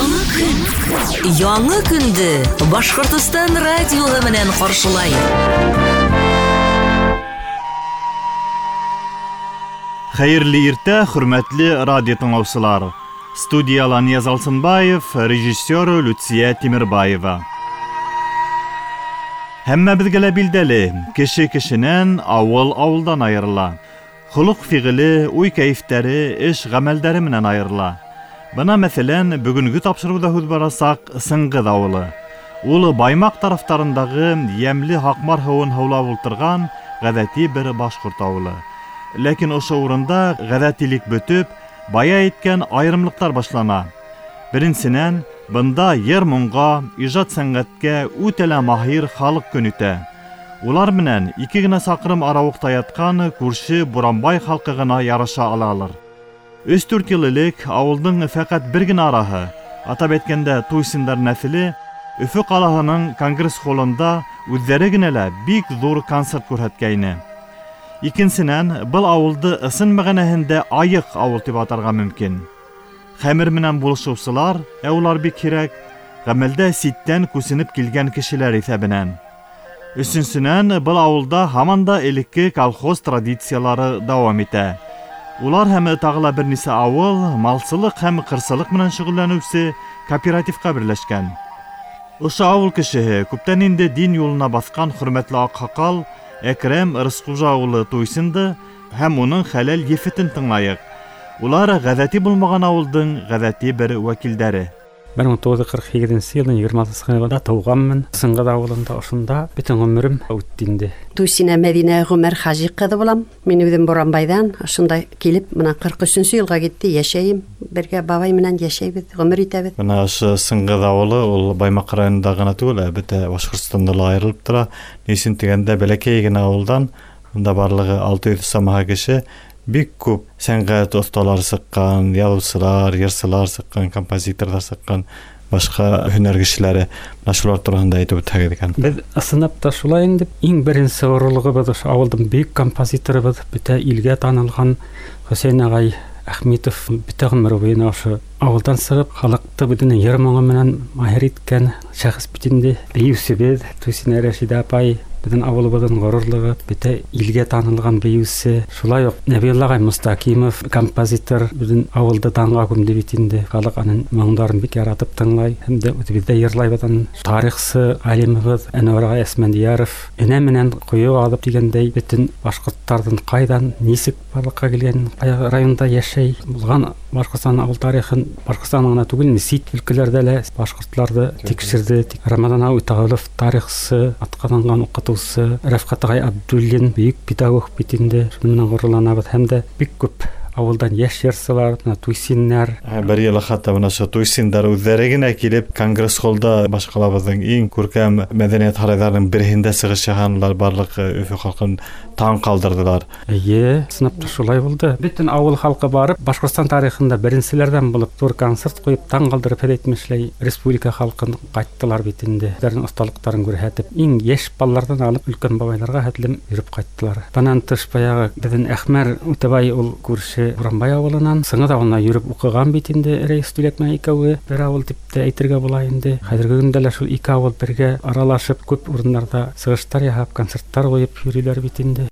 Яңы көн. Яңы көндө Башҡортостан радиоһы менән ҡаршылай. Хәйерле иртә, хөрмәтле радио тыңлаусылар. Студияла Нияз Алсынбаев, режиссер Люция Тимербаева. Һәммәбеҙгә лә билдәле, кеше кешенән, ауыл ауылдан айырыла. Холоҡ фиғеле, уй кәйефтәре, эш ғәмәлдәре менән айырыла. Бына мәҫәлән, бөгөнгө тапшырыуҙа һүҙ барасаҡ Сыңғыҙ ауылы. Ул Баймаҡ тарафтарындағы йәмле Һаҡмар һыуын һыулап ултырған ғәҙәти бер башҡорт ауылы. Ләкин ошо урында ғәҙәтилек бөтөп, бая әйткән айырымлыҡтар башлана. Беренсенән, бында йыр-моңға, ижад сәнғәткә үтә лә маһир халыҡ көн итә. Улар менән 2 генә саҡрым арауыҡта ятҡан күрше Буранбай халҡы ғына ярыша алалыр. 3-4 йыл элек ауылдың фәҡәт бер генә араһы, атап әйткәндә Туйсиндар нәҫеле, Өфө ҡалаһының конгресс холында үҙҙәре генә лә бик ҙур концерт күрһәткәйне. Икенсенән, был ауылды ысын мәғәнәһендә айыҡ ауыл тип атарға мөмкин. Хәмер менән булышыусылар, ә улар бик һирәк, ғәмәлдә ситтән күсенеп килгән кешеләр иҫәбенән. Өсөнсөнән, был ауылда һаман да элекке колхоз традициялары дауам итә. Улар һәм тағы ла бер нисә ауыл малсылыҡ һәм ҡырсылыҡ менән шөғөлләнеүсе кооперативҡа берләшкән. Ошо ауыл кешеһе күптән инде дин юлына баҫҡан хөрмәтле аҡһаҡал Әкрәм Рысҡужа улы Туйсинды һәм уның хәләл ефетен тыңлайыҡ. Улар ғәҙәти булмаған ауылдың ғәҙәти бер вәкилдәре. 1948 йылдың 26 ғинварында тыуғанмын. Сыңғыҙ ауылында ошонда бөтөн ғүмерем үтте инде. Туйсина Мәҙинә Ғүмәр Хажи ҡыҙы булам. Мин үҙем Буранбайҙан, ошонда килеп, мына 43 йылға китте, йәшәйем. Бергә бабай менән йәшәйбеҙ, ғүмер итәбеҙ. Бына ошо Сыңғыҙ ауылы ул Баймаҡ районында ғына түгел, ә бөтә Башҡортостанда ла айырылып тора. Ни өсөн тигәндә, бәләкәй генә ауылдан, унда барлығы 600 самаһы кеше, бик күп сәнғәт оҫталары сыҡҡан, яҙыусылар, йырсылар сыҡҡан, композиторҙар сыҡҡан, башҡа һөнәр кешеләре. Мына шулар тураһында әйтеп үтһәгеҙ икән. Беҙ ысынлап та шулай инде. Иң беренсе ғорурлығыбыҙ ошо ауылдың бөйөк композиторыбыҙ, бөтә илгә танылған Хөсәйен ағай Әхмитов бөтә ғүмере буйына ошо ауылдан сығып, халыҡты үҙенең йыр моңо менән маһир иткән шәхес бит инде. Бейеүсебеҙ Туйсина Рәшидә апай, беҙҙең ауылыбыҙҙың ғорурлығы, бөтә илгә танылған бейеүсе. Шулай уҡ Нәбиулла ағай Мостакимов, композитор, беҙҙең ауылды данға күмде бит инде. Халыҡ уның моңдарын бик яратып тыңлай, һәм дә үҙебеҙ дә йырлайбыҙ уны. Тарихсы ғалимыбыҙ Әнүәр ағай Әсмәндияров энә менән ҡойо алып тигәндәй, бөтөн башҡорттарҙың ҡайҙан, нисек барлыҡҡа килгән, ҡай районда йәшәй булған Башҡортостан ауыл тарихын, Башҡортостан ғына түгел, сит өлкәләрҙә лә башҡортларҙы тикшерҙе. Рамаҙан ағай Үтәғолов тарихсы, атҡаҙанған уҡытыусы, Рәфҡәт ағай Абдуллин бөйөк педагог бит инде. Шуның менән ғорурланабыҙ. Һәм дә бик күп ауылдан йәш йырсылар, бына Туйсиннар. Бер йылы хатта бына ошо Туйсиндар үҙҙәре генә килеп конгресс холда баш ҡалабыҙҙың иң күркәм мәҙәниәт һарайҙарының береһендә сығыш яһанылар, барлыҡ Өфө халҡын таң ҡалдырҙылар. Эйе, ысынлап та шулай булды. Бөтөн ауыл халҡы барып, Башҡортостан тарихында беренселәрҙән булып ҙур концерт ҡуйып, таң ҡалдырып, һеҙ әйтмешләй, республика халҡын ҡайттылар бит инде. Үҙҙәренең оҫталыҡтарын күрһәтеп, иң йәш балаларҙан алып өлкән бабайларға хәтлем йөрөп ҡайттылар. Бынан тыш баяғы беҙҙең Әхмәр Үтәбай ул күрше Буранбай ауылынан, Сыңғыҙ ауылына йөрөп уҡыған бит инде, Рәйес Түләк менән икәүе бер ауыл тип тә әйтергә була инде. Хәҙерге көндә лә шул ике ауыл бергә аралашып, күп урындарҙа сығыштар яһап, концерттар ҡуйып йөрөйләр бит инде.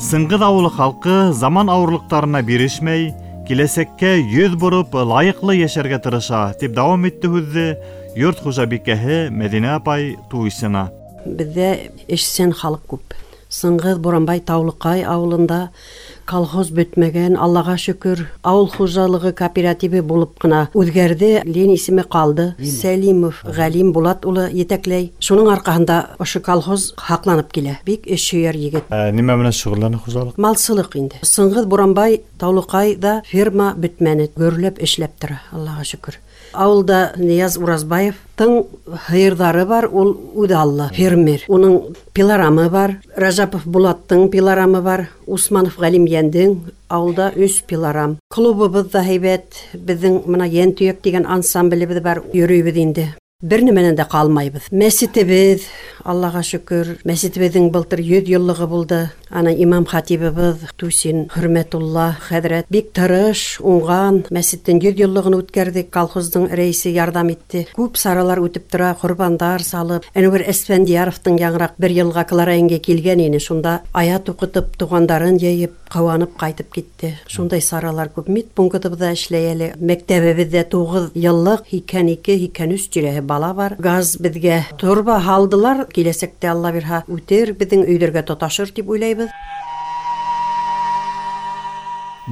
Сыңғыҙ ауылы халҡы заман ауырлыҡтарына бирешмәй, киләсәккә йөҙ бороп, лайыҡлы йәшәргә тырыша, тип дауам итте һүҙҙе йорт хужабикәһе Мәҙинә апай Туйсина. Беҙҙә эшсән халыҡ күп. Сыңғыҙ, Буранбай, Таулыҡай ауылында колхоз бөтмәгән, Аллаға шөкөр, ауыл хужалығы кооперативы булып ҡына үҙгәрҙе, Ленин исеме ҡалды. Сәлимов Ғәлим Булат улы етәкләй. Шуның арҡаһында ошо колхоз һаҡланып килә. Бик эш һөйәр егет. Нимә менән шөғөлләнә хужалыҡ? Малсылыҡ инде. Сыңғыҙ, Буранбай, Таулыҡайҙа ферма бөтмәне, гөрләп эшләп тора, Аллаға шөкөр. Ауылда Нияз Уразбаевтың һыйырҙары бар, ул үҙе алла фермер. Уның пилорамы бар, Ражапов Булаттың пилорамы бар, Усманов Ғәлим Йәндең ауылда 3 пилорам. Клубыбыҙ ҙа һәйбәт, беҙҙең мына Йәнтөйәк тигән ансамблебеҙ бар, йөрөйбөҙ инде. Бер нәмәнән дә ҡалмайбыҙ. Мәсетебеҙ, Аллаға шөкөр, мәсетебеҙҙең былтыр 100 йыллығы булды. Ана имам хатибыбыҙ Тусин Хөрмәтулла хәҙрәт бик тырыш, уңған. Мәсеттең 100 йыллығын үткәрҙек, колхоздың рәисе ярҙам итте. Күп саралар үтеп тора, ҡорбандар салып. Әнүәр Әсфәндияровтың яңыраҡ бер йылға Клара еңгә килгән ине, шунда аят уҡытып, туғандарын йыйып, ҡыуанып ҡайтып китте. Шундай саралар күп. Медпунктыбыҙҙа эшләй әле. Мәктәбебеҙҙә 9 йыллыҡ 82-83 тирәһе бала бар. Газ беҙгә торба һалдылар. Киләсәктә Алла бирһә үтер, беҙҙең өйҙәргә тоташыр тип уйлайбыҙ.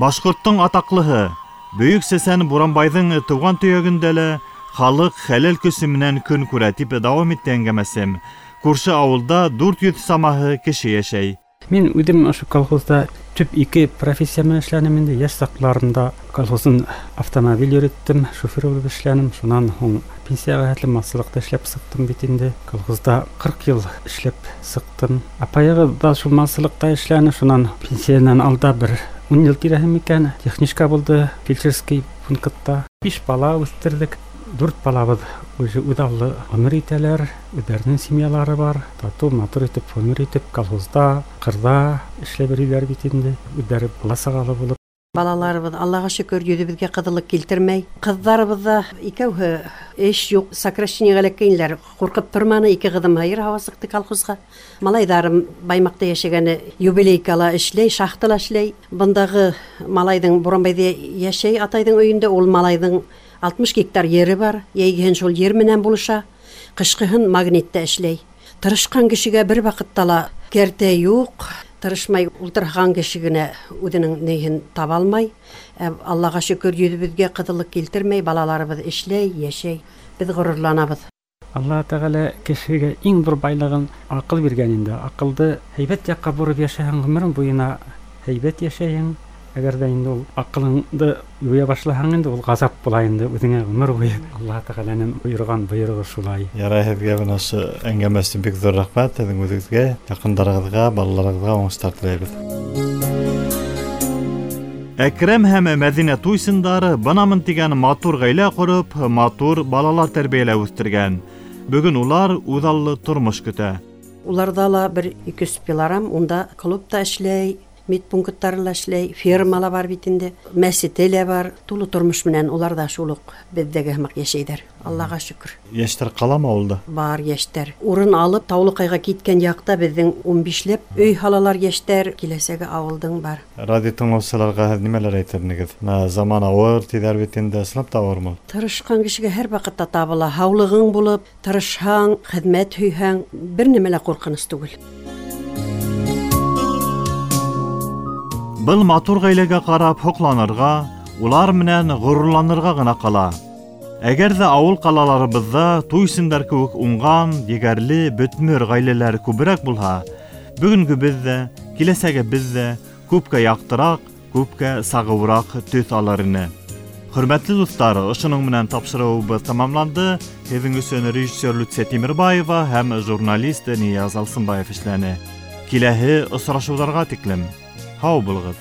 Башҡорттоң атаҡлыһы Бөйөк Сәсән Буранбайҙың тыуған төйәгендә лә халыҡ хәләл көсө менән көн күрә тип дауам итте әңгәмәсем. Күрше ауылда 400 самаһы кеше йәшәй. Мин үҙем ошо колхозда төп 2 профессия менән эшләнем инде. Йәш саҡларымда колхоздың автомобиль йөрөттөм, шофер булып эшләнем. Шунан һуң пенсияға хәтлем малсылыҡта эшләп сыҡтым бит инде. Колхозда 40 йыл эшләп сыҡтым. Апайығыҙ да шул малсылыҡта эшләне. Шунан пенсиянан алда бер 10 йыл тирәһе микән техничка булды фельдшерский пунктта. 5 бала үҫтерҙек. 4 балабыҙ уже үҙаллы ғүмер итәләр, үҙҙәренең семьялары бар. Татыу, матур итеп ғүмер итеп колхозда, ҡырҙа эшләп йөрөйҙәр бит инде. Үҙҙәре бала-сағалы булып. Балаларыбыҙ Аллаға шөкөр йөҙөбөҙгә ҡыҙыллыҡ килтермәй. Ҡыҙҙарыбыҙ ҙа икәүһе эш юҡ, сокращениеға эләккәйнеләр. Ҡурҡып торманы, 2 ҡыҙым һыйыр һауа сыҡты колхозға. Малайҙарым Баймаҡта йәшәгәне юбилейкала эшләй, шахтала эшләй. Бындағы малайҙың Буранбайҙа йәшәй атайҙың өйөндә, ул малайҙың 60 гектар ере бар. Йәйгеһен шул ер менән булыша, ҡышҡыһын магнитта эшләй. Тырышҡан кешегә бер ваҡытта ла кәртә юҡ. Тырышмай ултырған кеше генә үҙенең ниһен таба алмай. Аллаға шөкөр йөҙөбөҙгә ҡыҙыллыҡ килтермәй, балаларыбыҙ эшләй, йәшәй. Беҙ ғорурланабыҙ. Алла Тәғәлә кешегә иң ҙур байлығын аҡыл биргән инде. Аҡылды һәйбәт яҡҡа бороп йәшәһәң, ғүмерең буйына һәйбәт йәшәйһең. Әгәр ҙә инде ул аҡылыңды юя башлаһаң инде ул ғазап була инде үҙеңә ғүмер буйы. Алла Тәғәләнең бойорған бойороғо шулай. Ярай, һеҙгә бына ошо әңгәмә өсөн бик ҙур рәхмәт. Һеҙҙең үҙегеҙгә, яҡындарығыҙға, балаларығыҙға уңыштар теләйбеҙ. Әкрәм һәм Мәҙинә Туйсындары бынамын тигән матур ғаилә ҡороп, матур балалар тәрбиәләп үҫтергән. Бөгөн улар үҙаллы тормош көтә. Уларҙа ла бер 200 пилорам, унда клубта эшләй, медпункттары ла эшләй, ферма ла бар бит инде, мәсете лә бар. Тулы тормош менән улар ҙа шул уҡ беҙҙәге һымаҡ йәшәйҙәр. Аллаға шөкөр. Йәштәр ҡаламы ауылда? Бар йәштәр. Урын алып Таулыҡайға киткән яҡта беҙҙең 15-ләп өй һалалар йәштәр. Киләсәге ауылдың бар. Радио тыңлаусыларға һеҙ нимәләр әйтер инегеҙ? Заман ауыр тиҙәр бит инде, ысынлап та ауырмы? Тырышҡан кешегә һәр ваҡытта табыла. Һаулығың булып, тырышһаң, хеҙмәт һөйһәң, бер нәмә лә ҡурҡыныс түгел. Был матур ғаиләгә ҡарап һоҡланырға, улар менән ғорурланырға ғына ҡала. Әгәр ҙә ауыл ҡалаларыбыҙҙа Туйсындар кеүек уңған, егәрле, бөтмөр ғаиләләр күберәк булһа, бөгөнгөбөҙ ҙә, киләсәгебеҙ ҙә күпкә яҡтыраҡ, күпкә сағыуыраҡ төҫ алыр ине. Хөрмәтле дуҫтар, ошоноң менән тапшырыуыбыҙ тамамланды. Һеҙҙең өсөн режиссер Люция Тимербаева һәм журналист Нияз Алсынбаев эшләне. Киләһе осрашыуҙарға тиклем. Һау булығыҙ.